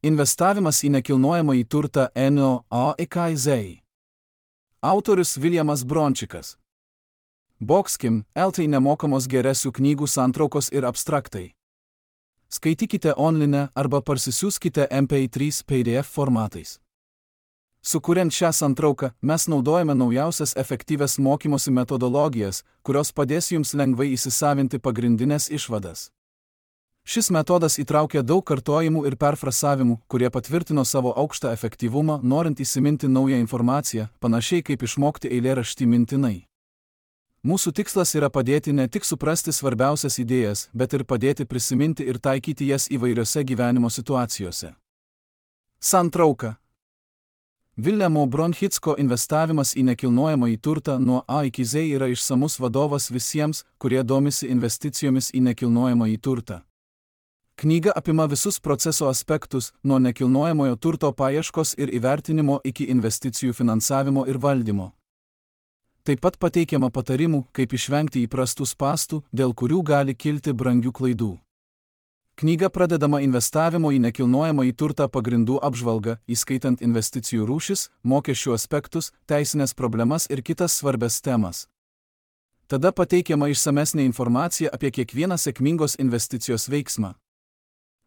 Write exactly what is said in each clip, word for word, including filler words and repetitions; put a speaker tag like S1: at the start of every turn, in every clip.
S1: Investavimas į nekilnojamąjį turtą Ennio Aikizei. Autorius Viljamas Brončikas. Boxkim, L T nemokamos geresių knygų santraukos ir abstraktai. Skaitykite online arba parsisiųskite M P trys P D F formatais. Sukuriant šią santrauką, mes naudojame naujausias efektyvias mokymosi metodologijas, kurios padės jums lengvai įsisavinti pagrindinės išvadas. Šis metodas įtraukia daug kartojimų ir perfrasavimų, kurie patvirtino savo aukštą efektyvumą, norint įsiminti naują informaciją, panašiai kaip išmokti eilėraštį mintinai. Mūsų tikslas yra padėti ne tik suprasti svarbiausias idėjas, bet ir padėti prisiminti ir taikyti jas įvairiose gyvenimo situacijose. Santrauka. Viljamo Bronchicko investavimas į nekilnojamąjį turtą nuo A iki Z yra išsamus vadovas visiems, kurie domisi investicijomis į nekilnojamąjį turtą. Knyga apima visus proceso aspektus, nuo nekilnojamojo turto paieškos ir įvertinimo iki investicijų finansavimo ir valdymo. Taip pat pateikiama patarimų, kaip išvengti įprastų spąstų, dėl kurių gali kilti brangių klaidų. Knyga pradedama investavimo į nekilnojamąjį turtą pagrindų apžvalga, įskaitant investicijų rūšis, mokesčių aspektus, teisinės problemas ir kitas svarbias temas. Tada pateikiama išsamesnė informacija apie kiekvieną sėkmingos investicijos veiksmą.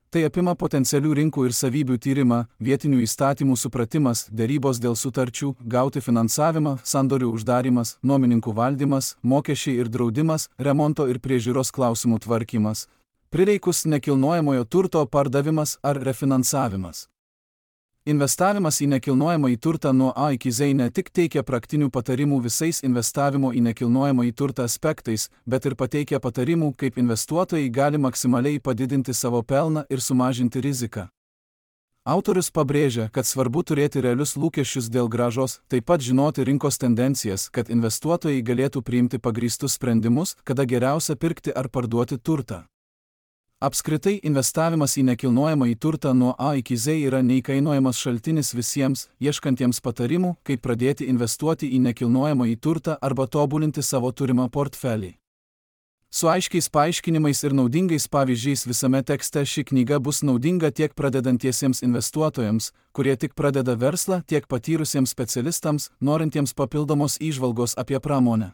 S1: Tai apima potencialių rinkų ir savybių tyrimą, vietinių įstatymų supratimas, derybos dėl sutarčių, gauti finansavimą, sandorių uždarimas, nuomininkų valdymas, mokesčiai ir draudimas, remonto ir priežiūros klausimų tvarkymas, prireikus nekilnojamojo turto pardavimas ar refinansavimas. Investavimas į nekilnojamąjį turtą nuo A iki Z ne tik teikia praktinių patarimų visais investavimo į nekilnojamąjį turtą aspektais, bet ir pateikia patarimų, kaip investuotojai gali maksimaliai padidinti savo pelną ir sumažinti riziką. Autorius pabrėžia, kad svarbu turėti realius lūkesčius dėl grąžos, taip pat žinoti rinkos tendencijas, kad investuotojai galėtų priimti pagrįstus sprendimus, kada geriausia pirkti ar parduoti turtą. Apskritai, investavimas į nekilnojamąjį turtą nuo A iki Z yra neįkainojamas šaltinis visiems, ieškantiems patarimų, kaip pradėti investuoti į nekilnojamąjį turtą arba tobulinti savo turimą portfelį. Su aiškiais paaiškinimais ir naudingais pavyzdžiais visame tekste ši knyga bus naudinga tiek pradedantiesiems investuotojams, kurie tik pradeda verslą, tiek patyrusiems specialistams, norintiems papildomos įžvalgos apie pramonę.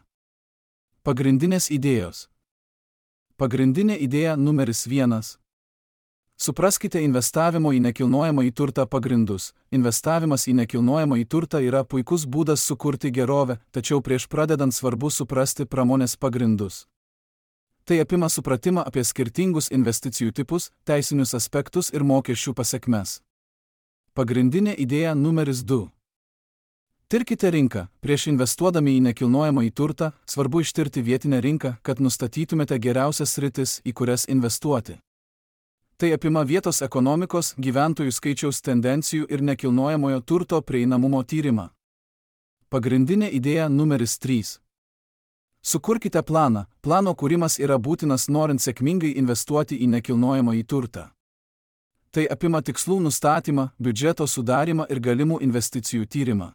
S1: Pagrindinės idėjos. Pagrindinė idėja numeris vienas. Supraskite investavimo į nekilnojamąjį turtą pagrindus. Investavimas į nekilnojamąjį turtą yra puikus būdas sukurti gerovę, tačiau prieš pradedant svarbu suprasti pramonės pagrindus. Tai apima supratimą apie skirtingus investicijų tipus, teisinius aspektus ir mokesčių pasekmes. Pagrindinė idėja numeris du. Tirkite rinką. Prieš investuodami į nekilnojamąjį turtą, svarbu ištirti vietinę rinką, kad nustatytumėte geriausias sritis, į kurias investuoti. Tai apima vietos ekonomikos, gyventojų skaičiaus tendencijų ir nekilnojamojo turto prieinamumo tyrimą. Pagrindinė idėja numeris trys. Sukurkite planą. Plano kūrimas yra būtinas norint sėkmingai investuoti į nekilnojamąjį turtą. Tai apima tikslų nustatymą, biudžeto sudarymą ir galimų investicijų tyrimą.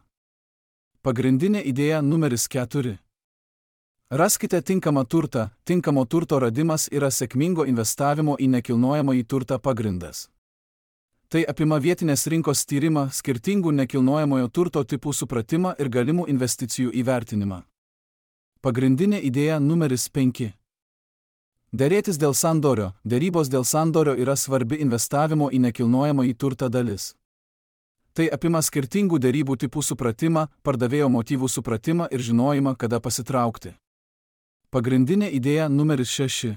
S1: Pagrindinė idėja numeris keturi. Raskite tinkamą turtą. Tinkamo turto radimas yra sėkmingo investavimo į nekilnojamąjį turtą pagrindas. Tai apima vietinės rinkos tyrimą, skirtingų nekilnojamojo turto tipų supratimą ir galimų investicijų įvertinimą. Pagrindinė idėja numeris penki. Derėtis dėl sandorio. Derybos dėl sandorio yra svarbi investavimo į nekilnojamąjį turtą dalis. Tai apima skirtingų derybų tipų supratimą, pardavėjo motyvų supratimą ir žinojimą, kada pasitraukti. Pagrindinė idėja numeris šeši.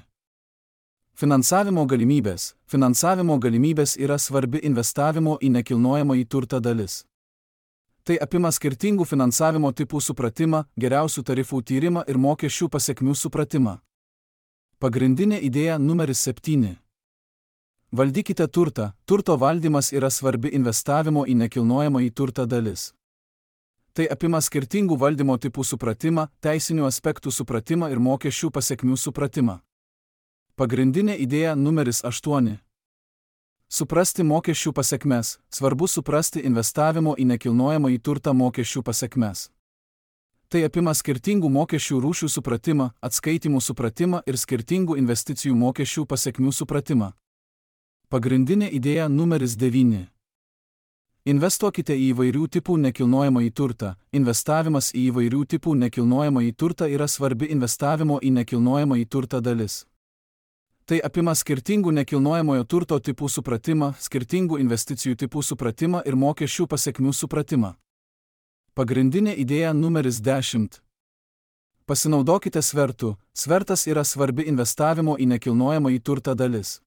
S1: Finansavimo galimybės. Finansavimo galimybės yra svarbi investavimo į nekilnojamąjį turtą dalis. Tai apima skirtingų finansavimo tipų supratimą, geriausių tarifų tyrimą ir mokesčių pasekmių supratimą. Pagrindinė idėja numeris septyni. Valdykite turtą. Turto valdymas yra svarbi investavimo į nekilnojamąjį turtą dalis. Tai apima skirtingų valdymo tipų supratimą, teisinių aspektų supratimą ir mokesčių pasekmių supratimą. Pagrindinė idėja numeris aštuoni. Suprasti mokesčių pasekmes. Svarbu suprasti investavimo į nekilnojamąjį turtą mokesčių pasekmes. Tai apima skirtingų mokesčių rūšių supratimą, atskaitymų supratimą ir skirtingų investicijų mokesčių pasekmių supratimą. Pagrindinė idėja numeris devyni. Investuokite į įvairių tipų nekilnojamąjį turtą. Investavimas į įvairių tipų nekilnojamąjį turtą yra svarbi investavimo į nekilnojamąjį turtą dalis. Tai apima skirtingų nekilnojamojo turto tipų supratimą, skirtingų investicijų tipų supratimą ir mokesčių pasekmių supratimą. Pagrindinė idėja numeris dešimt. Pasinaudokite svertu. Svertas yra svarbi investavimo į nekilnojamąjį turtą dalis.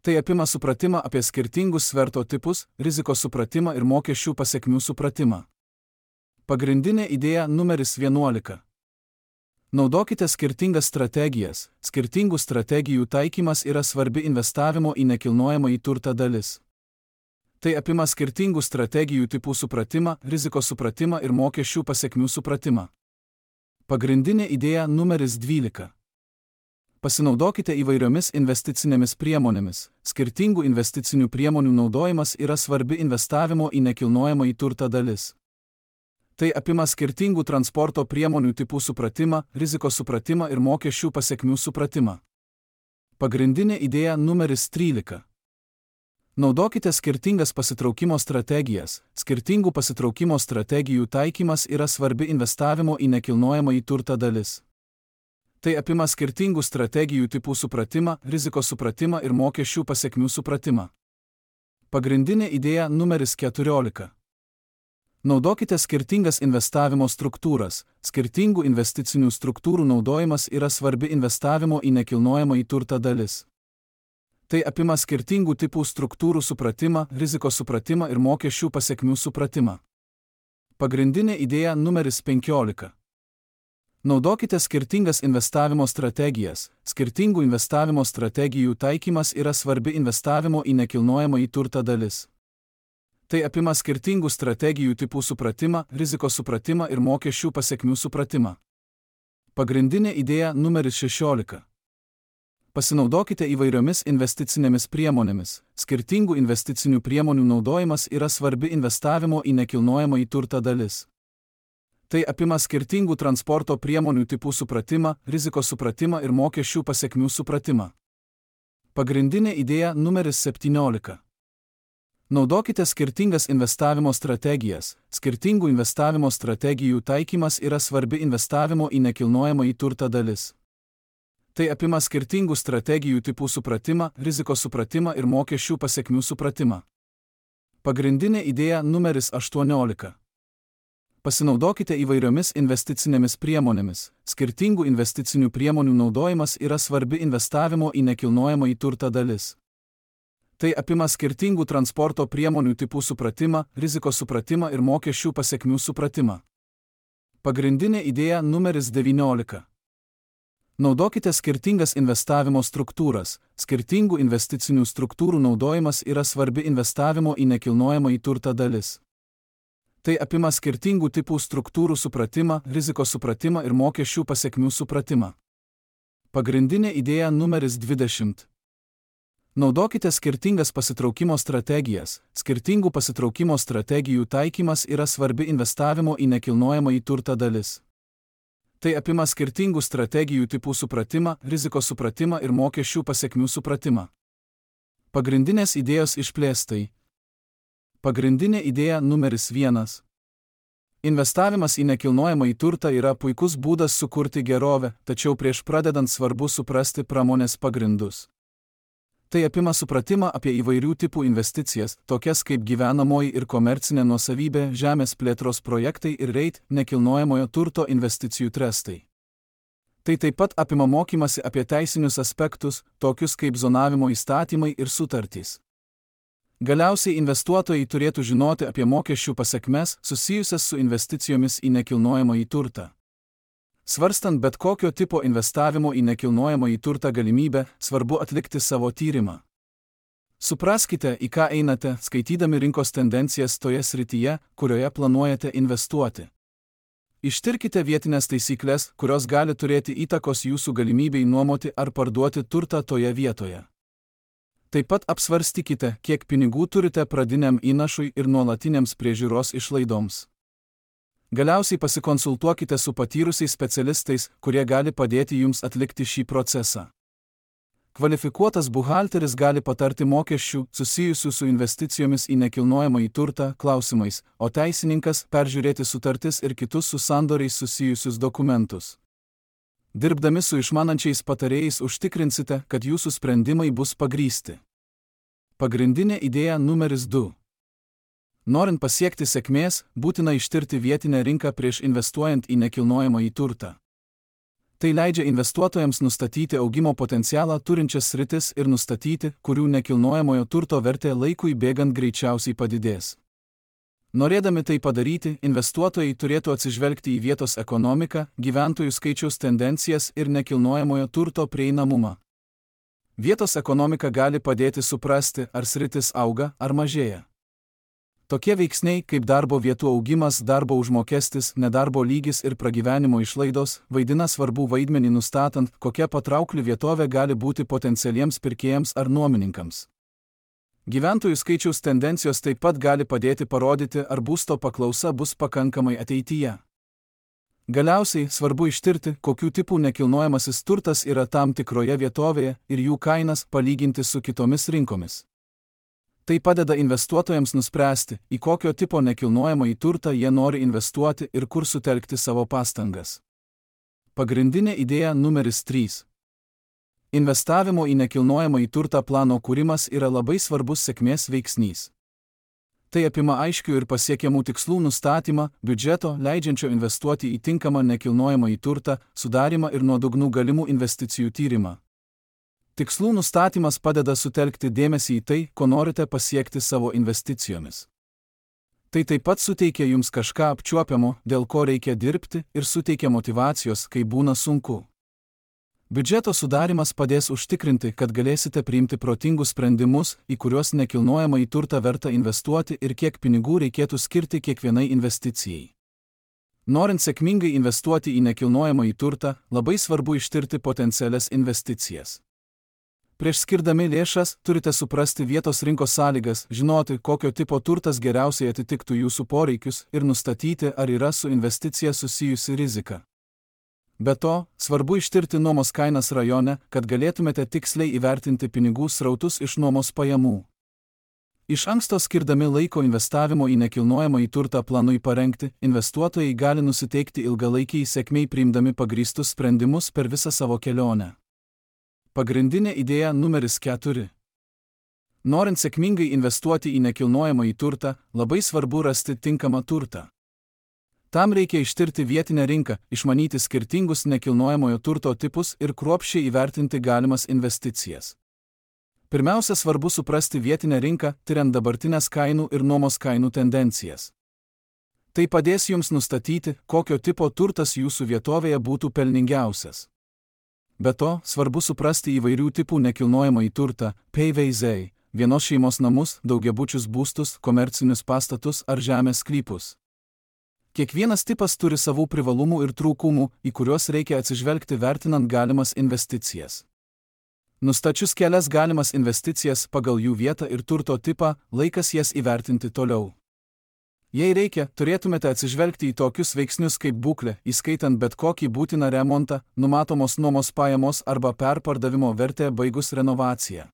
S1: Tai apima supratimą apie skirtingus sverto tipus, rizikos supratimą ir mokesčių pasekmių supratimą. Pagrindinė idėja numeris vienuolika. Naudokite skirtingas strategijas. Skirtingų strategijų taikymas yra svarbi investavimo į nekilnojamąjį turtą dalis. Tai apima skirtingų strategijų tipų supratimą, rizikos supratimą ir mokesčių pasekmių supratimą. Pagrindinė idėja numeris dvylika. Pasinaudokite įvairiomis investicinėmis priemonėmis. Skirtingų investicinių priemonių naudojimas yra svarbi investavimo į nekilnojamąjį turtą dalis. Tai apima skirtingų transporto priemonių tipų supratimą, rizikos supratimą ir mokesčių pasekmių supratimą. Pagrindinė idėja numeris trylika. Naudokite skirtingas pasitraukimo strategijas. Skirtingų pasitraukimo strategijų taikymas yra svarbi investavimo į nekilnojamąjį turtą dalis. Tai apima skirtingų strategijų tipų supratimą, rizikos supratimą ir mokesčių pasekmių supratimą. Pagrindinė idėja numeris keturiolika. Naudokite skirtingas investavimo struktūras. Skirtingų investicinių struktūrų naudojimas yra svarbi investavimo į nekilnojamąjį turtą dalis. Tai apima skirtingų tipų struktūrų supratimą, rizikos supratimą ir mokesčių pasekmių supratimą. Pagrindinė idėja numeris penkiolika. Naudokite skirtingas investavimo strategijas. Skirtingų investavimo strategijų taikymas yra svarbi investavimo į nekilnojamąjį turtą dalis. Tai apima skirtingų strategijų tipų supratimą, rizikos supratimą ir mokesčių pasekmių supratimą. Pagrindinė idėja numeris šešiolika. Pasinaudokite įvairiomis investicinėmis priemonėmis. Skirtingų investicinių priemonių naudojimas yra svarbi investavimo į nekilnojamąjį turtą dalis. Tai apima skirtingų transporto priemonių tipų supratimą, rizikos supratimą ir mokesčių pasekmių supratimą. Pagrindinė idėja numeris septyniolika. Naudokite skirtingas investavimo strategijas. Skirtingų investavimo strategijų taikymas yra svarbi investavimo į nekilnojamąjį turtą dalis. Tai apima skirtingų strategijų tipų supratimą, rizikos supratimą ir mokesčių pasekmių supratimą. Pagrindinė idėja numeris aštuoniolika. Pasinaudokite įvairiomis investicinėmis priemonėmis. Skirtingų investicinių priemonių naudojimas yra svarbi investavimo į nekilnojamąjį turtą dalis. Tai apima skirtingų transporto priemonių tipų supratimą, rizikos supratimą ir mokesčių pasekmių supratimą. Pagrindinė idėja numeris devyniolika. Naudokite skirtingas investavimo struktūras. Skirtingų investicinių struktūrų naudojimas yra svarbi investavimo į nekilnojamąjį turtą dalis. Tai apima skirtingų tipų struktūrų supratimą, rizikos supratimą ir mokesčių pasekmių supratimą. Pagrindinė idėja numeris dvidešimt. Naudokite skirtingas pasitraukimo strategijas. Skirtingų pasitraukimo strategijų taikymas yra svarbi investavimo į nekilnojamąjį turtą dalis. Tai apima skirtingų strategijų tipų supratimą, rizikos supratimą ir mokesčių pasekmių supratimą. Pagrindinės idėjos išplėstai. Pagrindinė idėja numeris vienas. Investavimas į nekilnojamąjį turtą yra puikus būdas sukurti gerovę, tačiau prieš pradedant svarbu suprasti pramonės pagrindus. Tai apima supratimą apie įvairių tipų investicijas, tokias kaip gyvenamoji ir komercinė nuosavybė, žemės plėtros projektai ir reit nekilnojamojo turto investicijų trestai. Tai taip pat apima mokymasi apie teisinius aspektus, tokius kaip zonavimo įstatymai ir sutartys. Galiausiai investuotojai turėtų žinoti apie mokesčių pasekmes susijusias su investicijomis į nekilnojamąjį turtą. Svarstant bet kokio tipo investavimo į nekilnojamąjį turtą galimybę, svarbu atlikti savo tyrimą. Supraskite, į ką einate, skaitydami rinkos tendencijas toje srityje, kurioje planuojate investuoti. Ištirkite vietinės taisyklės, kurios gali turėti įtakos jūsų galimybei nuomoti ar parduoti turtą toje vietoje. Taip pat apsvarstykite, kiek pinigų turite pradiniam įnašui ir nuolatiniams priežiūros išlaidoms. Galiausiai pasikonsultuokite su patyrusiais specialistais, kurie gali padėti jums atlikti šį procesą. Kvalifikuotas buhalteris gali patarti mokesčių susijusių su investicijomis į nekilnojamąjį turtą klausimais, o teisininkas peržiūrėti sutartis ir kitus su sandoriais susijusius dokumentus. Dirbdami su išmanančiais patarėjais užtikrinsite, kad jūsų sprendimai bus pagrįsti. Pagrindinė idėja numeris du. Norint pasiekti sėkmės, būtina ištirti vietinę rinką prieš investuojant į nekilnojamąjį turtą. Tai leidžia investuotojams nustatyti augimo potencialą turinčias sritis ir nustatyti, kurių nekilnojamojo turto vertė laikui bėgant greičiausiai padidės. Norėdami tai padaryti, investuotojai turėtų atsižvelgti į vietos ekonomiką, gyventojų skaičiaus tendencijas ir nekilnojamojo turto prieinamumą. Vietos ekonomika gali padėti suprasti, ar sritis auga ar mažėja. Tokie veiksniai kaip darbo vietų augimas, darbo užmokestis, nedarbo lygis ir pragyvenimo išlaidos vaidina svarbų vaidmenį nustatant, kokia patraukli vietovė gali būti potencialiems pirkėjams ar nuomininkams. Gyventojų skaičiaus tendencijos taip pat gali padėti parodyti, ar būsto paklausa bus pakankamai ateityje. Galiausiai svarbu ištirti, kokių tipų nekilnojamasis turtas yra tam tikroje vietovėje ir jų kainas palyginti su kitomis rinkomis. Tai padeda investuotojams nuspręsti, į kokio tipo nekilnojamąjį turtą jie nori investuoti ir kur sutelkti savo pastangas. Pagrindinė idėja numeris trys. Investavimo į nekilnojamąjį turtą plano kūrimas yra labai svarbus sėkmės veiksnys. Tai apima aiškių ir pasiekiamų tikslų nustatymą, biudžeto, leidžiančio investuoti į tinkamą nekilnojamąjį turtą, sudarimą ir nuodugnų galimų investicijų tyrimą. Tikslų nustatymas padeda sutelkti dėmesį į tai, ko norite pasiekti savo investicijomis. Tai taip pat suteikia jums kažką apčiuopiamo, dėl ko reikia dirbti ir suteikia motyvacijos, kai būna sunku. Biudžeto sudarimas padės užtikrinti, kad galėsite priimti protingus sprendimus, į kuriuos nekilnojamąjį turtą verta investuoti ir kiek pinigų reikėtų skirti kiekvienai investicijai. Norint sėkmingai investuoti į nekilnojamąjį turtą, labai svarbu ištirti potencialias investicijas. Prieš skirdami lėšas, turite suprasti vietos rinkos sąlygas, žinoti, kokio tipo turtas geriausiai atitiktų jūsų poreikius ir nustatyti, ar yra su investicija susijusi rizika. Be to, svarbu ištirti nuomos kainas rajone, kad galėtumėte tiksliai įvertinti pinigų srautus iš nuomos pajamų. Iš anksto skirdami laiko investavimo į nekilnojamąjį turtą planui parengti, investuotojai gali nusiteikti ilgalaikiai sėkmei priimdami pagrįstus sprendimus per visą savo kelionę. Pagrindinė idėja numeris keturi. Norint sėkmingai investuoti į nekilnojamąjį turtą, labai svarbu rasti tinkamą turtą. Tam reikia ištirti vietinę rinką, išmanyti skirtingus nekilnojamojo turto tipus ir kruopščiai įvertinti galimas investicijas. Pirmiausia, svarbu suprasti vietinę rinką, tiriant dabartinės kainų ir nuomos kainų tendencijas. Tai padės jums nustatyti, kokio tipo turtas jūsų vietovėje būtų pelningiausias. Be to, svarbu suprasti įvairių tipų nekilnojamąjį turtą, P V Z, vienos šeimos namus, daugiabučius būstus, komercinius pastatus ar žemės sklypus. Kiekvienas tipas turi savų privalumų ir trūkumų, į kuriuos reikia atsižvelgti vertinant galimas investicijas. Nustačius kelias galimas investicijas pagal jų vietą ir turto tipą, laikas jas įvertinti toliau. Jei reikia, turėtumėte atsižvelgti į tokius veiksnius kaip būklė, įskaitant bet kokį būtiną remontą, numatomos nuomos pajamos arba perpardavimo vertę baigus renovaciją.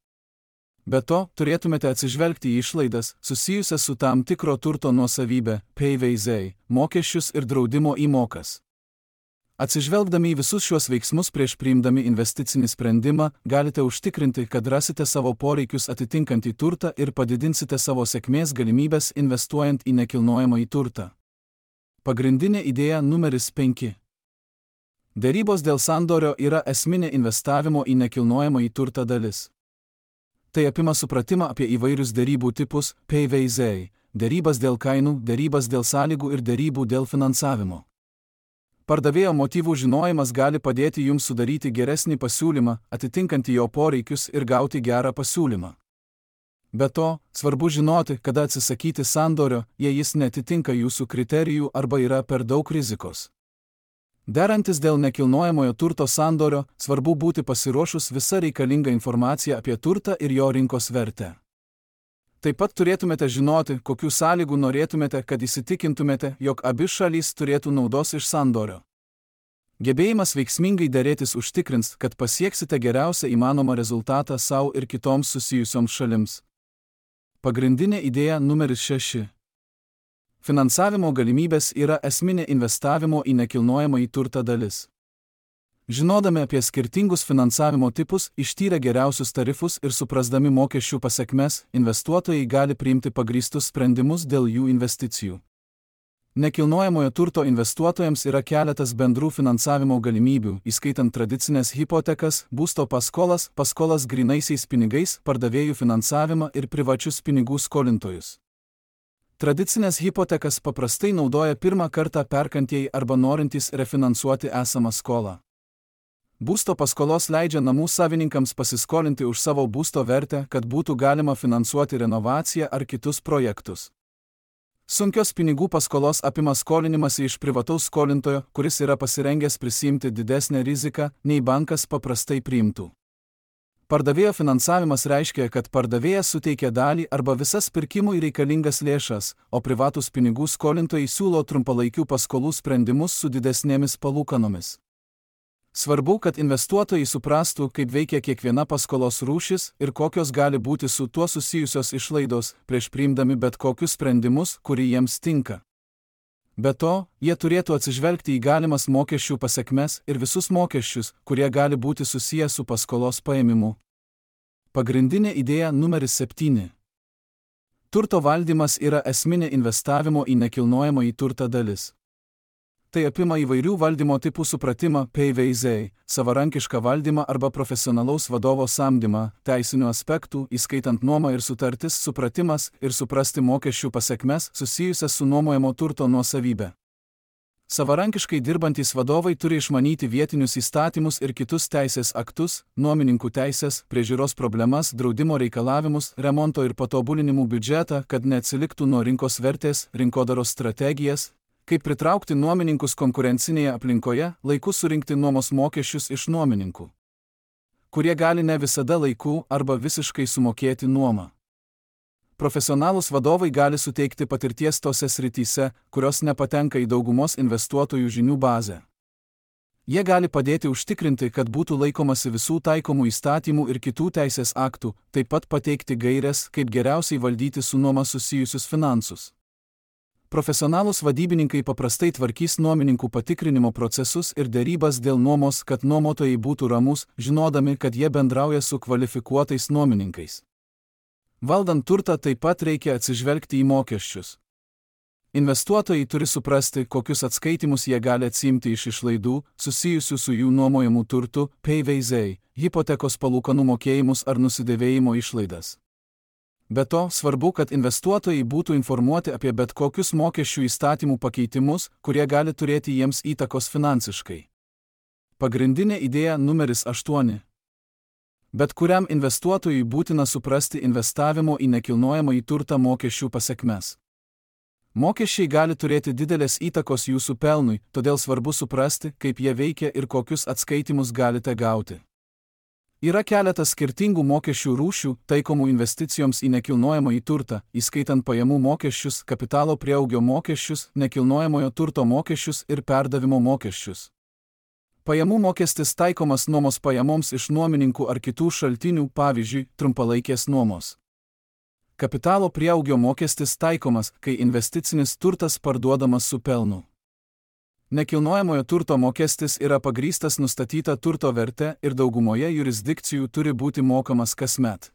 S1: Be to, turėtumėte atsižvelgti į išlaidas, susijusias su tam tikro turto nuosavybė, P V Z, mokesčius ir draudimo įmokas. Atsižvelgdami į visus šiuos veiksmus prieš priimdami investicinį sprendimą, galite užtikrinti, kad rasite savo poreikius atitinkantį turtą ir padidinsite savo sėkmės galimybės investuojant į nekilnojamąjį turtą. Pagrindinė idėja numeris penki. Derybos dėl sandorio yra esminė investavimo į nekilnojamąjį turtą dalis. Tai apima supratimą apie įvairius derybų tipus, P V Z, derybas dėl kainų, derybas dėl sąlygų ir derybų dėl finansavimo. Pardavėjo motyvų žinojimas gali padėti jums sudaryti geresnį pasiūlymą, atitinkantį jo poreikius ir gauti gerą pasiūlymą. Be to, svarbu žinoti, kada atsisakyti sandorio, jei jis netitinka jūsų kriterijų arba yra per daug rizikos. Derantis dėl nekilnojamojo turto sandorio, svarbu būti pasiruošus visą reikalingą informaciją apie turtą ir jo rinkos vertę. Taip pat turėtumėte žinoti, kokių sąlygų norėtumėte, kad įsitikintumėte, jog abi šalys turėtų naudos iš sandorio. Gebėjimas veiksmingai derėtis užtikrins, kad pasieksite geriausią įmanomą rezultatą savo ir kitoms susijusioms šalims. Pagrindinė idėja numeris šeši. Finansavimo galimybės yra esminė investavimo į nekilnojamąjį turtą dalis. Žinodami apie skirtingus finansavimo tipus, ištyrę geriausius tarifus ir suprasdami mokesčių pasekmes, investuotojai gali priimti pagrįstus sprendimus dėl jų investicijų. Nekilnojamojo turto investuotojams yra keletas bendrų finansavimo galimybių, įskaitant tradicinės hipotekas, būsto paskolas, paskolas grynaisiais pinigais, pardavėjų finansavimą ir privačius pinigų skolintojus. Tradicinės hipotekas paprastai naudoja pirmą kartą perkantieji arba norintys refinansuoti esamą skolą. Būsto paskolos leidžia namų savininkams pasiskolinti už savo būsto vertę, kad būtų galima finansuoti renovaciją ar kitus projektus. Sunkios pinigų paskolos apima skolinimąsi iš privataus skolintojo, kuris yra pasirengęs prisiimti didesnę riziką, nei bankas paprastai priimtų. Pardavėjo finansavimas reiškia, kad pardavėjas suteikia dalį arba visas pirkimui reikalingas lėšas, o privatūs pinigų skolintojai siūlo trumpalaikių paskolų sprendimus su didesnėmis palūkanomis. Svarbu, kad investuotojai suprastų, kaip veikia kiekviena paskolos rūšis ir kokios gali būti su tuo susijusios išlaidos, prieš priimdami bet kokius sprendimus, kurie jiems tinka. Be to, jie turėtų atsižvelgti į galimas mokesčių pasekmes ir visus mokesčius, kurie gali būti susiję su paskolos paėmimu. Pagrindinė idėja numeris septyni. Turto valdymas yra esminė investavimo į nekilnojamąjį turtą dalis. Tai apima įvairių valdymo tipų supratimą, P V Z, savarankišką valdymą arba profesionalaus vadovo samdymą, teisinių aspektų, įskaitant nuomą ir sutartis, supratimas ir suprasti mokesčių pasekmes susijusias su nuomojamo turto nuosavybė. Savarankiškai dirbantys vadovai turi išmanyti vietinius įstatymus ir kitus teisės aktus, nuomininkų teisės, priežiūros problemas, draudimo reikalavimus, remonto ir patobulinimų biudžetą, kad neatsiliktų nuo rinkos vertės, rinkodaros strategijas, kaip pritraukti nuomininkus konkurencinėje aplinkoje, laiku surinkti nuomos mokesčius iš nuomininkų, kurie gali ne visada laiku arba visiškai sumokėti nuomą. Profesionalūs vadovai gali suteikti patirties tose srityse, kurios nepatenka į daugumos investuotojų žinių bazę. Jie gali padėti užtikrinti, kad būtų laikomasi visų taikomų įstatymų ir kitų teisės aktų, taip pat pateikti gaires, kaip geriausiai valdyti su nuoma susijusius finansus. Profesionalūs vadybininkai paprastai tvarkys nuomininkų patikrinimo procesus ir dėrybas dėl nuomos, kad nuomotojai būtų ramus, žinodami, kad jie bendrauja su kvalifikuotais nuomininkais. Valdant turtą taip pat reikia atsižvelgti į mokesčius. Investuotojai turi suprasti, kokius atskaitimus jie gali atsiimti iš išlaidų, susijusių su jų nuomojamų turtų, P V Z, hipotekos palūkanų mokėjimus ar nusidėvėjimo išlaidas. Be to, svarbu, kad investuotojai būtų informuoti apie bet kokius mokesčių įstatymų pakeitimus, kurie gali turėti jiems įtakos finansiškai. Pagrindinė idėja numeris aštuoni. Bet kuriam investuotojui būtina suprasti investavimo į nekilnojamąjį turtą mokesčių pasekmes. Mokesčiai gali turėti didelės įtakos jūsų pelnui, todėl svarbu suprasti, kaip jie veikia ir kokius atskaitimus galite gauti. Yra keletas skirtingų mokesčių rūšių, taikomų investicijoms į nekilnojamąjį turtą, įskaitant pajamų mokesčius, kapitalo prieaugio mokesčius, nekilnojamojo turto mokesčius ir perdavimo mokesčius. Pajamų mokestis taikomas nuomos pajamoms iš nuomininkų ar kitų šaltinių, pavyzdžiui, trumpalaikės nuomos. Kapitalo prieaugio mokestis taikomas, kai investicinis turtas parduodamas su pelnu. Nekilnojamojo turto mokestis yra pagrįstas nustatyta turto verte ir daugumoje jurisdikcijų turi būti mokamas kasmet.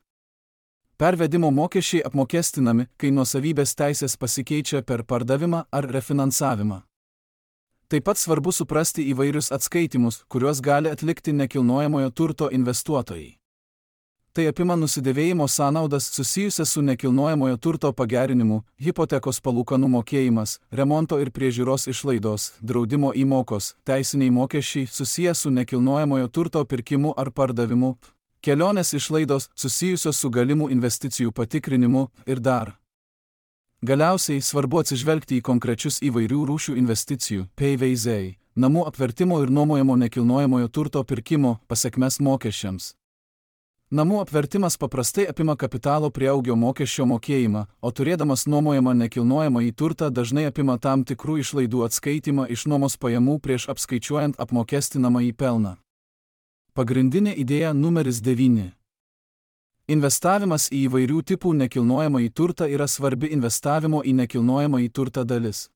S1: Pervedimo mokesčiai apmokestinami, kai nuosavybės teisės pasikeičia per pardavimą ar refinansavimą. Taip pat svarbu suprasti įvairius atskaitimus, kuriuos gali atlikti nekilnojamojo turto investuotojai. Tai apima nusidėvėjimo sąnaudas susijusias su nekilnojamojo turto pagerinimu, hipotekos palūkanų mokėjimas, remonto ir priežiūros išlaidos, draudimo įmokos, teisiniai mokesčiai susiję su nekilnojamojo turto pirkimu ar pardavimu, kelionės išlaidos susijusios su galimų investicijų patikrinimu ir dar. Galiausiai svarbu atsižvelgti į konkrečius įvairių rūšių investicijų, P V Z, namų apvertimo ir nuomojamo nekilnojamojo turto pirkimo pasekmes mokesčiams. Namų apvertimas paprastai apima kapitalo prieaugio mokesčio mokėjimą, o turėdamas nuomojamą nekilnojamąjį turtą dažnai apima tam tikrų išlaidų atskaitimą iš nuomos pajamų prieš apskaičiuojant apmokestinamąjį pelną. Pagrindinė idėja numeris devyni. Investavimas į įvairių tipų nekilnojamąjį turtą yra svarbi investavimo į nekilnojamąjį turtą dalis.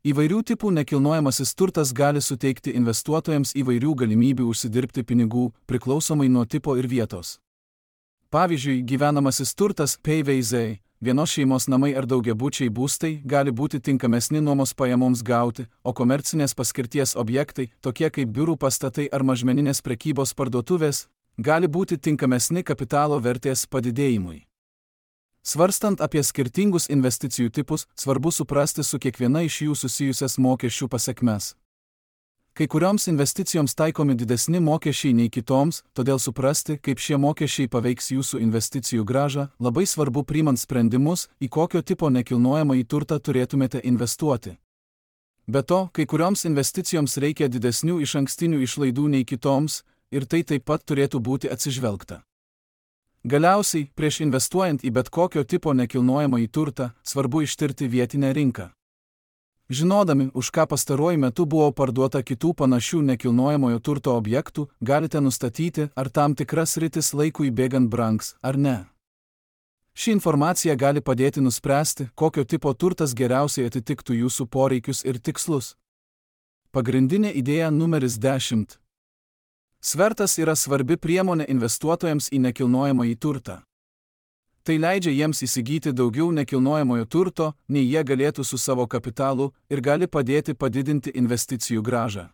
S1: Įvairių tipų nekilnojamasis turtas gali suteikti investuotojams įvairių galimybių užsidirbti pinigų, priklausomai nuo tipo ir vietos. Pavyzdžiui, gyvenamasis turtas P V Z, vienos šeimos namai ar daugiabučiai būstai gali būti tinkamesni nuomos pajamoms gauti, o komercinės paskirties objektai, tokie kaip biurų pastatai ar mažmeninės prekybos parduotuvės, gali būti tinkamesni kapitalo vertės padidėjimui. Svarstant apie skirtingus investicijų tipus, svarbu suprasti su kiekviena iš jų susijusias mokesčių pasekmes. Kai kurioms investicijoms taikomi didesni mokesčiai nei kitoms, todėl suprasti, kaip šie mokesčiai paveiks jūsų investicijų grąžą, labai svarbu priimant sprendimus, į kokio tipo nekilnojamąjį turtą turėtumėte investuoti. Be to, kai kurioms investicijoms reikia didesnių išankstinių išlaidų nei kitoms, ir tai taip pat turėtų būti atsižvelgta. Galiausiai, prieš investuojant į bet kokio tipo nekilnojamąjį turtą, svarbu ištirti vietinę rinką. Žinodami, už ką pastaruoju metu buvo parduota kitų panašių nekilnojamojo turto objektų, galite nustatyti, ar tam tikras sritis laikui bėgant brangs, ar ne. Ši informacija gali padėti nuspręsti, kokio tipo turtas geriausiai atitiktų jūsų poreikius ir tikslus. Pagrindinė idėja numeris dešimt. Svertas yra svarbi priemonė investuotojams į nekilnojamąjį turtą. Tai leidžia jiems įsigyti daugiau nekilnojamojo turto, nei jie galėtų su savo kapitalu, ir gali padėti padidinti investicijų grąžą.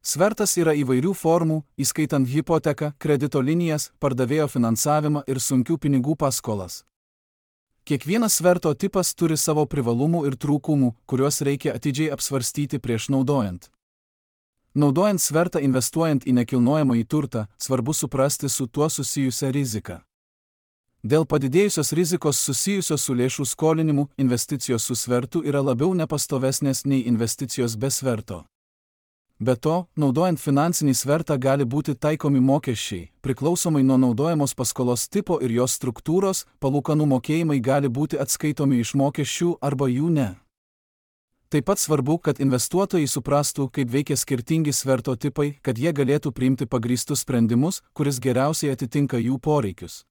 S1: Svertas yra įvairių formų, įskaitant hipoteką, kredito linijas, pardavėjo finansavimą ir sunkių pinigų paskolas. Kiekvienas sverto tipas turi savo privalumų ir trūkumų, kuriuos reikia atidžiai apsvarstyti prieš naudojant. Naudojant svertą investuojant į nekilnojamąjį turtą, svarbu suprasti su tuo susijusią riziką. Dėl padidėjusios rizikos susijusios su lėšų skolinimu, investicijos su svertu yra labiau nepastovesnės nei investicijos be sverto. Be to, naudojant finansinį svertą gali būti taikomi mokesčiai, priklausomai nuo naudojamos paskolos tipo ir jos struktūros, palūkanų mokėjimai gali būti atskaitomi iš mokesčių arba jų ne. Taip pat svarbu, kad investuotojai suprastų, kaip veikia skirtingi sverto tipai, kad jie galėtų priimti pagrįstus sprendimus, kuris geriausiai atitinka jų poreikius.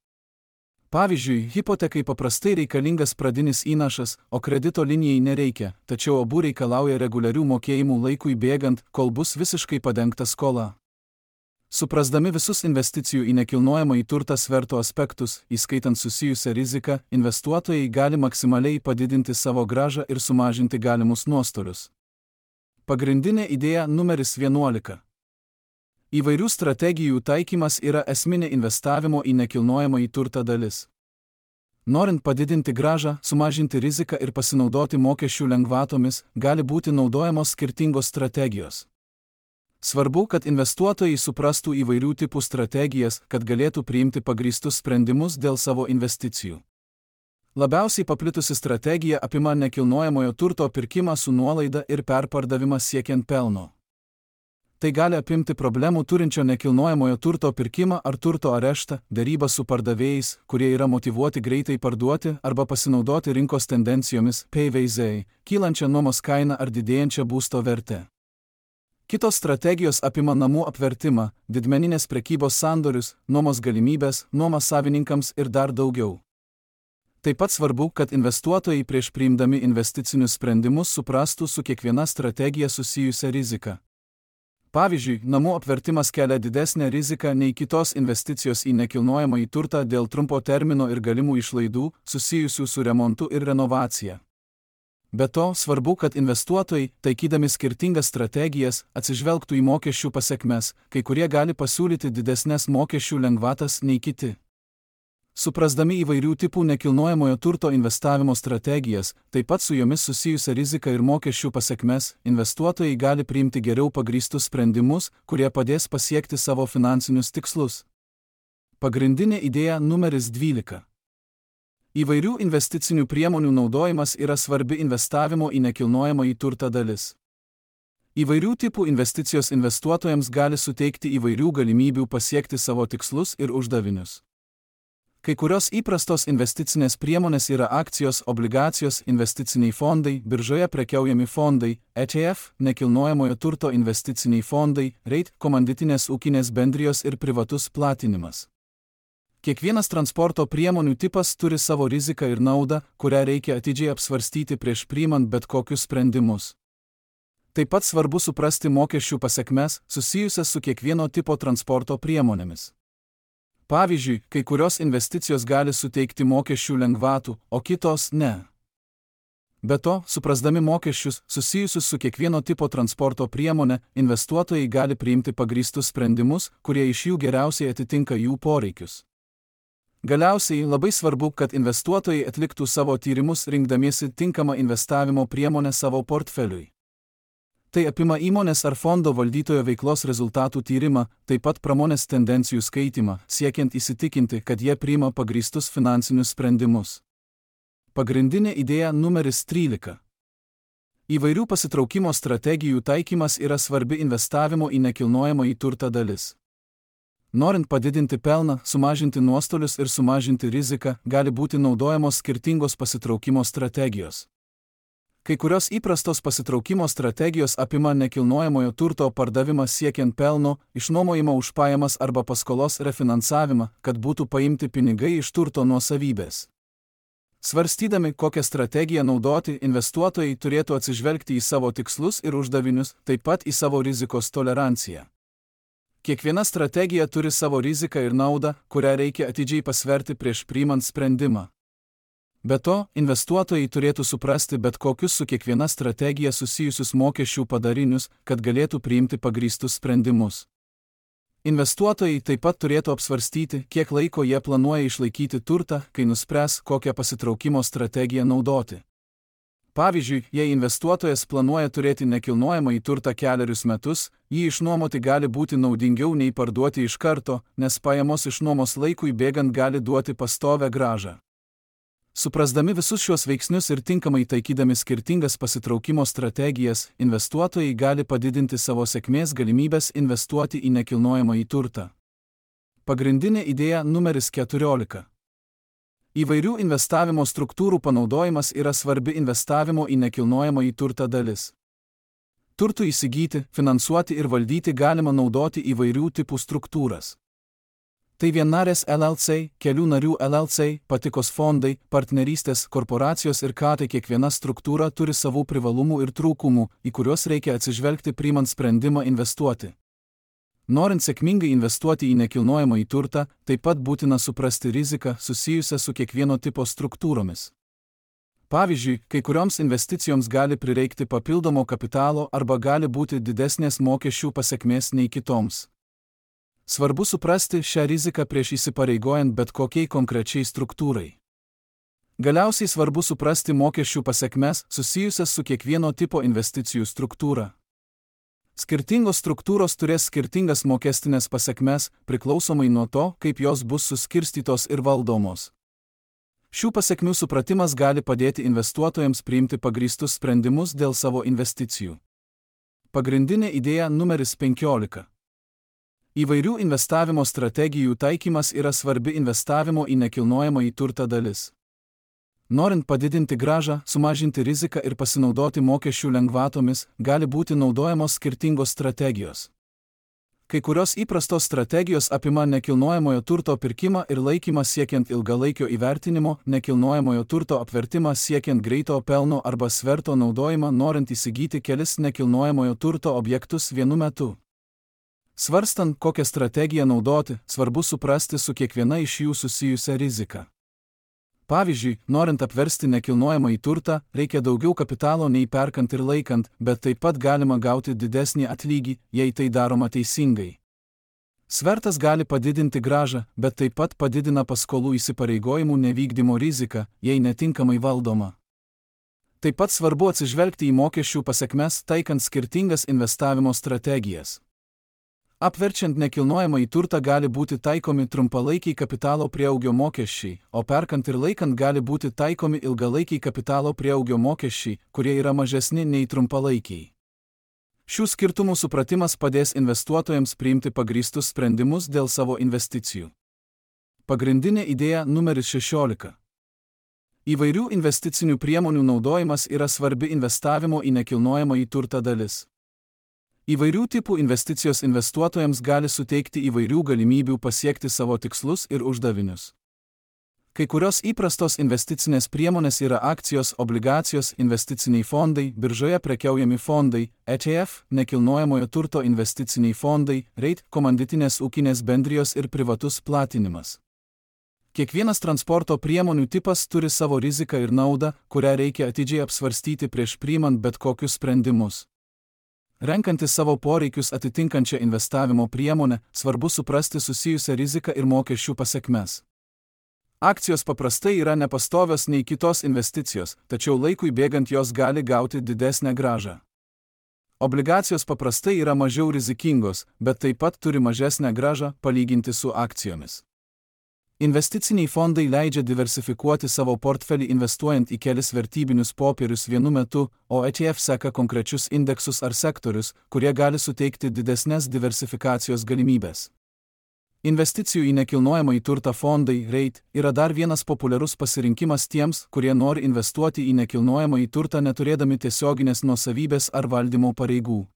S1: Pavyzdžiui, hipotekai paprastai reikalingas pradinis įnašas, o kredito linijai nereikia, tačiau abu reikalauja reguliarių mokėjimų laikui bėgant, kol bus visiškai padengta skola. Suprasdami visus investicijų į nekilnojamąjį turtą sverto aspektus, įskaitant susijusią riziką, investuotojai gali maksimaliai padidinti savo grąžą ir sumažinti galimus nuostolius. Pagrindinė idėja numeris vienuolika. Įvairių strategijų taikymas yra esminė investavimo į nekilnojamąjį turtą dalis. Norint padidinti grąžą, sumažinti riziką ir pasinaudoti mokesčių lengvatomis, gali būti naudojamos skirtingos strategijos. Svarbu, kad investuotojai suprastų įvairių tipų strategijas, kad galėtų priimti pagrįstus sprendimus dėl savo investicijų. Labiausiai paplitusi strategija apima nekilnojamojo turto pirkimą su nuolaida ir perpardavimą siekiant pelno. Tai gali apimti problemų turinčio nekilnojamojo turto pirkimą ar turto areštą, derybą su pardavėjais, kurie yra motyvuoti greitai parduoti arba pasinaudoti rinkos tendencijomis P V Z, kylančią nuomos kainą ar didėjančią būsto vertę. Kitos strategijos apima namų apvertimą, didmeninės prekybos sandorius, nuomos galimybės, nuomos savininkams ir dar daugiau. Taip pat svarbu, kad investuotojai prieš priimdami investicinius sprendimus suprastų su kiekviena strategija susijusią riziką. Pavyzdžiui, namų apvertimas kelia didesnę riziką nei kitos investicijos į nekilnojamąjį turtą dėl trumpo termino ir galimų išlaidų susijusių su remontu ir renovacija. Be to, svarbu, kad investuotojai, taikydami skirtingas strategijas, atsižvelgtų į mokesčių pasekmes, kai kurie gali pasiūlyti didesnes mokesčių lengvatas nei kiti. Suprasdami įvairių tipų nekilnojamojo turto investavimo strategijas, taip pat su jomis susijusią riziką ir mokesčių pasekmes, investuotojai gali priimti geriau pagrįstus sprendimus, kurie padės pasiekti savo finansinius tikslus. Pagrindinė idėja numeris dvylika. Įvairių investicinių priemonių naudojimas yra svarbi investavimo į nekilnojamąjį turtą dalis. Įvairių tipų investicijos investuotojams gali suteikti įvairių galimybių pasiekti savo tikslus ir uždavinius. Kai kurios įprastos investicinės priemonės yra akcijos, obligacijos, investiciniai fondai, biržoje prekiaujami fondai, E T F, nekilnojamojo turto investiciniai fondai, reit, komanditinės ūkinės bendrijos ir privatus platinimas. Kiekvienas transporto priemonių tipas turi savo riziką ir naudą, kurią reikia atidžiai apsvarstyti prieš priimant bet kokius sprendimus. Taip pat svarbu suprasti mokesčių pasekmes susijusias su kiekvieno tipo transporto priemonėmis. Pavyzdžiui, kai kurios investicijos gali suteikti mokesčių lengvatų, o kitos ne. Be to, suprasdami mokesčius susijusius su kiekvieno tipo transporto priemonė, investuotojai gali priimti pagrįstus sprendimus, kurie iš jų geriausiai atitinka jų poreikius. Galiausiai labai svarbu, kad investuotojai atliktų savo tyrimus rinkdamiesi tinkamą investavimo priemonę savo portfeliui. Tai apima įmonės ar fondo valdytojo veiklos rezultatų tyrimą, taip pat pramonės tendencijų skaitimą, siekiant įsitikinti, kad jie priima pagrįstus finansinius sprendimus. Pagrindinė idėja numeris trylika. Įvairių pasitraukimo strategijų taikymas yra svarbi investavimo į nekilnojamąjį turtą dalis. Norint padidinti pelną, sumažinti nuostolius ir sumažinti riziką, gali būti naudojamos skirtingos pasitraukimo strategijos. Kai kurios įprastos pasitraukimo strategijos apima nekilnojamojo turto pardavimą siekiant pelno, išnuomojimą už pajamas arba paskolos refinansavimą, kad būtų paimti pinigai iš turto nuosavybės. Svarstydami, kokią strategiją naudoti, investuotojai turėtų atsižvelgti į savo tikslus ir uždavinius, taip pat į savo rizikos toleranciją. Kiekviena strategija turi savo riziką ir naudą, kurią reikia atidžiai pasverti prieš priimant sprendimą. Be to, investuotojai turėtų suprasti bet kokius su kiekviena strategija susijusius mokesčių padarinius, kad galėtų priimti pagrįstus sprendimus. Investuotojai taip pat turėtų apsvarstyti, kiek laiko jie planuoja išlaikyti turtą, kai nuspręs, kokią pasitraukimo strategiją naudoti. Pavyzdžiui, jei investuotojas planuoja turėti nekilnojamąjį turtą kelerius metus, jį išnuomoti gali būti naudingiau nei parduoti iš karto, nes pajamos iš nuomos laikui bėgant gali duoti pastovią grąžą. Suprasdami visus šios veiksnius ir tinkamai taikydami skirtingas pasitraukimo strategijas, investuotojai gali padidinti savo sėkmės galimybės investuoti į nekilnojamąjį turtą. Pagrindinė idėja numeris keturiolika. Įvairių investavimo struktūrų panaudojimas yra svarbi investavimo į nekilnojamąjį turtą dalis. Turtų įsigyti, finansuoti ir valdyti galima naudoti įvairių tipų struktūras. Tai vienarės L L C, kelių narių L L C, patikos fondai, partnerystės, korporacijos ir ką tai kiekviena struktūra turi savų privalumų ir trūkumų, į kuriuos reikia atsižvelgti priimant sprendimą investuoti. Norint sėkmingai investuoti į nekilnojamąjį turtą, taip pat būtina suprasti riziką susijusią su kiekvieno tipo struktūromis. Pavyzdžiui, kai kurioms investicijoms gali prireikti papildomo kapitalo arba gali būti didesnės mokesčių pasekmės nei kitoms. Svarbu suprasti šią riziką prieš įsipareigojant bet kokiai konkrečiai struktūrai. Galiausiai svarbu suprasti mokesčių pasekmes susijusias su kiekvieno tipo investicijų struktūra. Skirtingos struktūros turės skirtingas mokestinės pasekmes, priklausomai nuo to, kaip jos bus suskirstytos ir valdomos. Šių pasekmių supratimas gali padėti investuotojams priimti pagrįstus sprendimus dėl savo investicijų. Pagrindinė idėja numeris penkiolika. Įvairių investavimo strategijų taikymas yra svarbi investavimo į nekilnojamąjį turtą dalis. Norint padidinti grąžą, sumažinti riziką ir pasinaudoti mokesčių lengvatomis, gali būti naudojamos skirtingos strategijos. Kai kurios įprastos strategijos apima nekilnojamojo turto pirkimą ir laikymą siekiant ilgalaikio įvertinimo, nekilnojamojo turto apvertimą siekiant greito pelno arba sverto naudojimą norint įsigyti kelis nekilnojamojo turto objektus vienu metu. Svarstant, kokią strategiją naudoti, svarbu suprasti su kiekviena iš jų susijusią riziką. Pavyzdžiui, norint apversti nekilnojamąjį turtą, reikia daugiau kapitalo nei perkant ir laikant, bet taip pat galima gauti didesnį atlygį, jei tai daroma teisingai. Svertas gali padidinti grąžą, bet taip pat padidina paskolų įsipareigojimų nevykdymo riziką, jei netinkamai valdoma. Taip pat svarbu atsižvelgti į mokesčių pasekmes, taikant skirtingas investavimo strategijas. Apverčiant nekilnojamąjį turtą gali būti taikomi trumpalaikiai kapitalo prieaugio mokesčiai, o perkant ir laikant gali būti taikomi ilgalaikiai kapitalo prieaugio mokesčiai, kurie yra mažesni nei trumpalaikiai. Šių skirtumų supratimas padės investuotojams priimti pagrįstus sprendimus dėl savo investicijų. Pagrindinė idėja numeris šešiolika. Įvairių investicinių priemonių naudojimas yra svarbi investavimo į nekilnojamąjį turtą dalis. Įvairių tipų investicijos investuotojams gali suteikti įvairių galimybių pasiekti savo tikslus ir uždavinius. Kai kurios įprastos investicinės priemonės yra akcijos, obligacijos, investiciniai fondai, biržoje prekiaujami fondai, E T F, nekilnojamojo turto investiciniai fondai, REIT, komanditinės ūkinės bendrijos ir privatus platinimas. Kiekvienas transporto priemonių tipas turi savo riziką ir naudą, kurią reikia atidžiai apsvarstyti prieš priimant bet kokius sprendimus. Renkantis savo poreikius atitinkančią investavimo priemonę, svarbu suprasti susijusią riziką ir mokesčių pasekmes. Akcijos paprastai yra nepastovios nei kitos investicijos, tačiau laikui bėgant jos gali gauti didesnę grąžą. Obligacijos paprastai yra mažiau rizikingos, bet taip pat turi mažesnę grąžą palyginti su akcijomis. Investiciniai fondai leidžia diversifikuoti savo portfelį investuojant į kelis vertybinius popierius vienu metu, o E T F seka konkrečius indeksus ar sektorius, kurie gali suteikti didesnės diversifikacijos galimybės. Investicijų į nekilnojamąjį turtą fondai, REIT, yra dar vienas populiarus pasirinkimas tiems, kurie nori investuoti į nekilnojamąjį turtą neturėdami tiesioginės nuosavybės ar valdymo pareigų.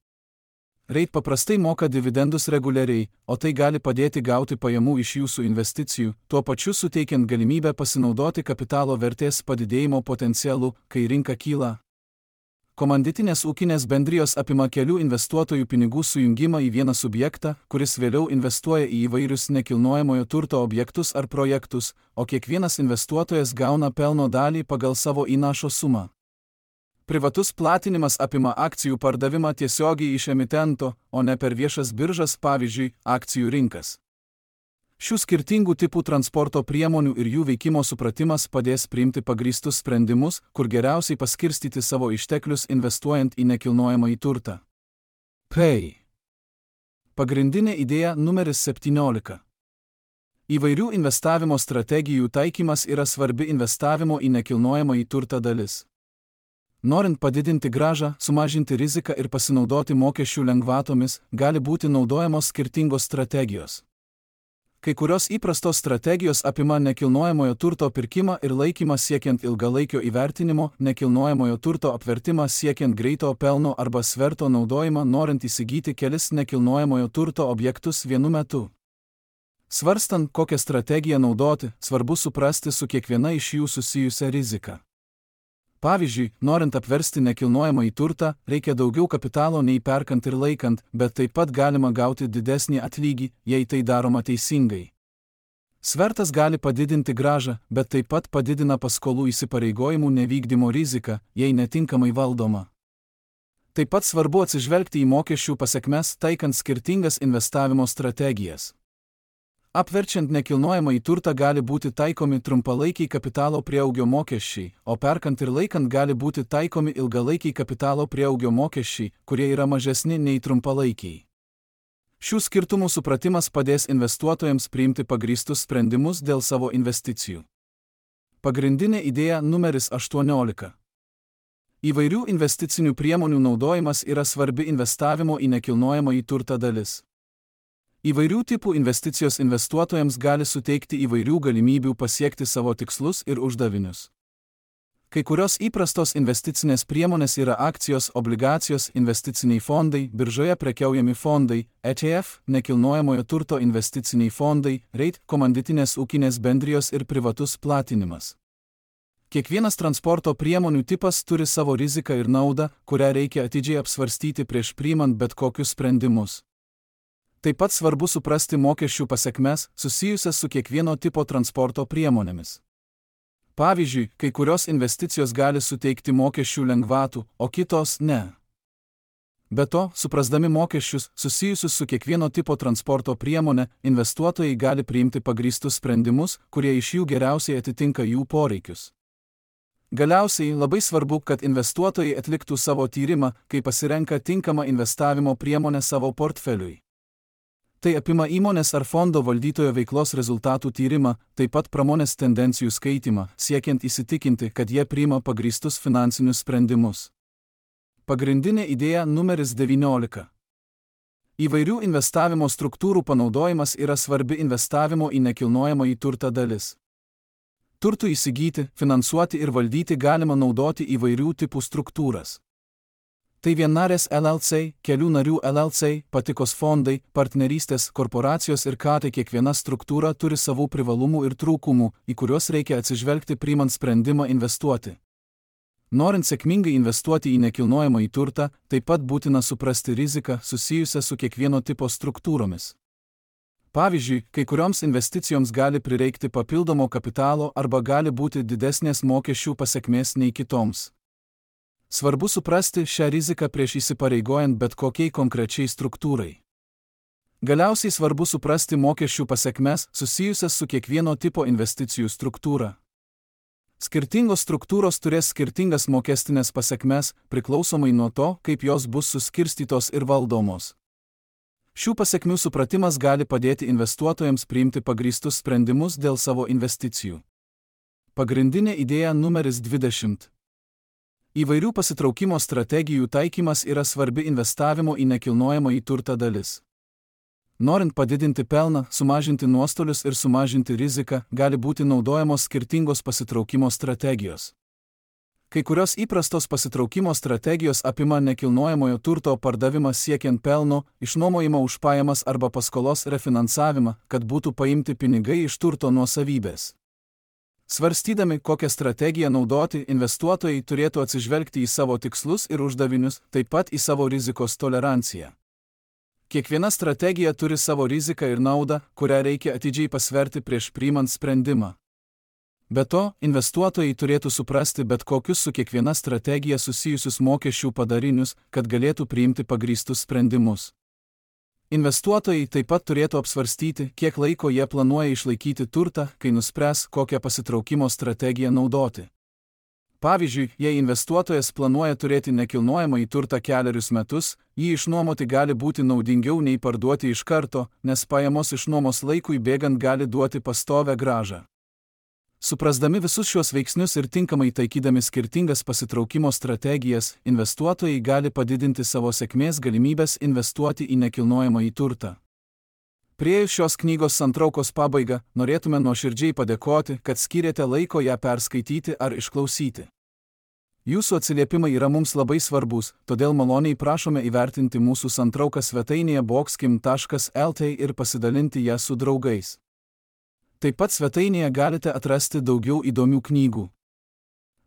S1: REIT paprastai moka dividendus reguliariai, o tai gali padėti gauti pajamų iš jūsų investicijų, tuo pačiu suteikiant galimybę pasinaudoti kapitalo vertės padidėjimo potencialu, kai rinka kyla. Komanditinės ūkinės bendrijos apima kelių investuotojų pinigų sujungimą į vieną subjektą, kuris vėliau investuoja į įvairius nekilnojamojo turto objektus ar projektus, o kiekvienas investuotojas gauna pelno dalį pagal savo įnašo sumą. Privatus platinimas apima akcijų pardavimą tiesiogiai iš emitento, o ne per viešas biržas, pavyzdžiui, akcijų rinkas. Šių skirtingų tipų transporto priemonių ir jų veikimo supratimas padės priimti pagrįstus sprendimus, kur geriausiai paskirstyti savo išteklius investuojant į nekilnojamąjį turtą. P. Pagrindinė idėja numeris septyniolika. Įvairių investavimo strategijų taikymas yra svarbi investavimo į nekilnojamąjį turtą dalis. Norint padidinti grąžą, sumažinti riziką ir pasinaudoti mokesčių lengvatomis, gali būti naudojamos skirtingos strategijos. Kai kurios įprastos strategijos apima nekilnojamojo turto pirkimą ir laikymą siekiant ilgalaikio įvertinimo, nekilnojamojo turto apvertimą siekiant greito pelno arba sverto naudojimą norint įsigyti kelis nekilnojamojo turto objektus vienu metu. Svarstant, kokią strategiją naudoti, svarbu suprasti su kiekviena iš jų susijusią riziką. Pavyzdžiui, norint apversti nekilnojamąjį turtą, reikia daugiau kapitalo nei perkant ir laikant, bet taip pat galima gauti didesnį atlygį, jei tai daroma teisingai. Svertas gali padidinti grąžą, bet taip pat padidina paskolų įsipareigojimų nevykdymo riziką, jei netinkamai valdoma. Taip pat svarbu atsižvelgti į mokesčių pasekmes, taikant skirtingas investavimo strategijas. Apverčiant nekilnojamąjį turtą gali būti taikomi trumpalaikiai kapitalo prieaugio mokesčiai, o perkant ir laikant gali būti taikomi ilgalaikiai kapitalo prieaugio mokesčiai, kurie yra mažesni nei trumpalaikiai. Šių skirtumų supratimas padės investuotojams priimti pagrįstus sprendimus dėl savo investicijų. Pagrindinė idėja numeris aštuoniolika. Įvairių investicinių priemonių naudojimas yra svarbi investavimo į nekilnojamąjį turtą dalis. Įvairių tipų investicijos investuotojams gali suteikti įvairių galimybių pasiekti savo tikslus ir uždavinius. Kai kurios įprastos investicinės priemonės yra akcijos, obligacijos, investiciniai fondai, biržoje prekiaujami fondai, E T F, nekilnojamojo turto investiciniai fondai, REIT, komanditinės ūkinės bendrijos ir privatus platinimas. Kiekvienas transporto priemonių tipas turi savo riziką ir naudą, kurią reikia atidžiai apsvarstyti prieš priimant bet kokius sprendimus. Taip pat svarbu suprasti mokesčių pasekmes, susijusias su kiekvieno tipo transporto priemonėmis. Pavyzdžiui, kai kurios investicijos gali suteikti mokesčių lengvatų, o kitos ne. Be to, suprasdami mokesčius, susijusius su kiekvieno tipo transporto priemonė, investuotojai gali priimti pagrįstus sprendimus, kurie iš jų geriausiai atitinka jų poreikius. Galiausiai, labai svarbu, kad investuotojai atliktų savo tyrimą, kai pasirenka tinkamą investavimo priemonę savo portfeliui. Tai apima įmonės ar fondo valdytojo veiklos rezultatų tyrimą, taip pat pramonės tendencijų skaitimą, siekiant įsitikinti, kad jie priima pagrįstus finansinius sprendimus. Pagrindinė idėja numeris devyniolika. Įvairių investavimo struktūrų panaudojimas yra svarbi investavimo į nekilnojamąjį turtą dalis. Turtų įsigyti, finansuoti ir valdyti galima naudoti įvairių tipų struktūras. Tai vienarės L L C, kelių narių L L C, patikos fondai, partnerystės, korporacijos ir ką tai kiekviena struktūra turi savų privalumų ir trūkumų, į kuriuos reikia atsižvelgti priimant sprendimą investuoti. Norint sėkmingai investuoti į nekilnojamąjį turtą, taip pat būtina suprasti riziką susijusią su kiekvieno tipo struktūromis. Pavyzdžiui, kai kurioms investicijoms gali prireikti papildomo kapitalo arba gali būti didesnės mokesčių pasekmės nei kitoms. Svarbu suprasti šią riziką prieš įsipareigojant bet kokiai konkrečiai struktūrai. Galiausiai svarbu suprasti mokesčių pasekmes susijusias su kiekvieno tipo investicijų struktūra. Skirtingos struktūros turės skirtingas mokestinės pasekmes, priklausomai nuo to, kaip jos bus suskirstytos ir valdomos. Šių pasekmių supratimas gali padėti investuotojams priimti pagrįstus sprendimus dėl savo investicijų. Pagrindinė idėja numeris dvidešimt. Įvairių pasitraukimo strategijų taikymas yra svarbi investavimo į nekilnojamąjį turtą dalis. Norint padidinti pelną, sumažinti nuostolius ir sumažinti riziką, gali būti naudojamos skirtingos pasitraukimo strategijos. Kai kurios įprastos pasitraukimo strategijos apima nekilnojamojo turto pardavimą siekiant pelno, išnuomojimą už pajamas arba paskolos refinansavimą, kad būtų paimti pinigai iš turto nuosavybės. Svarstydami, kokią strategiją naudoti, investuotojai turėtų atsižvelgti į savo tikslus ir uždavinius, taip pat į savo rizikos toleranciją. Kiekviena strategija turi savo riziką ir naudą, kurią reikia atidžiai pasverti prieš priimant sprendimą. Be to, investuotojai turėtų suprasti bet kokius su kiekviena strategija susijusius mokesčių padarinius, kad galėtų priimti pagrįstus sprendimus. Investuotojai taip pat turėtų apsvarstyti, kiek laiko jie planuoja išlaikyti turtą, kai nuspręs, kokią pasitraukimo strategiją naudoti. Pavyzdžiui, jei investuotojas planuoja turėti nekilnojamąjį turtą kelerius metus, jį išnuomoti gali būti naudingiau nei parduoti iš karto, nes pajamos iš nuomos laikui bėgant gali duoti pastovią grąžą. Suprasdami visus šios veiksnius ir tinkamai taikydami skirtingas pasitraukimo strategijas, investuotojai gali padidinti savo sėkmės galimybės investuoti į nekilnojamąjį turtą. Priėjus šios knygos santraukos pabaigą, norėtume nuoširdžiai padėkoti, kad skyrėte laiko ją perskaityti ar išklausyti. Jūsų atsiliepimai yra mums labai svarbus, todėl maloniai prašome įvertinti mūsų santrauką svetainėje boxkim taškas el t ir pasidalinti ją su draugais. Taip pat svetainėje galite atrasti daugiau įdomių knygų.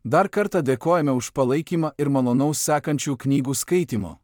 S1: Dar kartą dėkojame už palaikymą ir malonaus sekančių knygų skaitimo.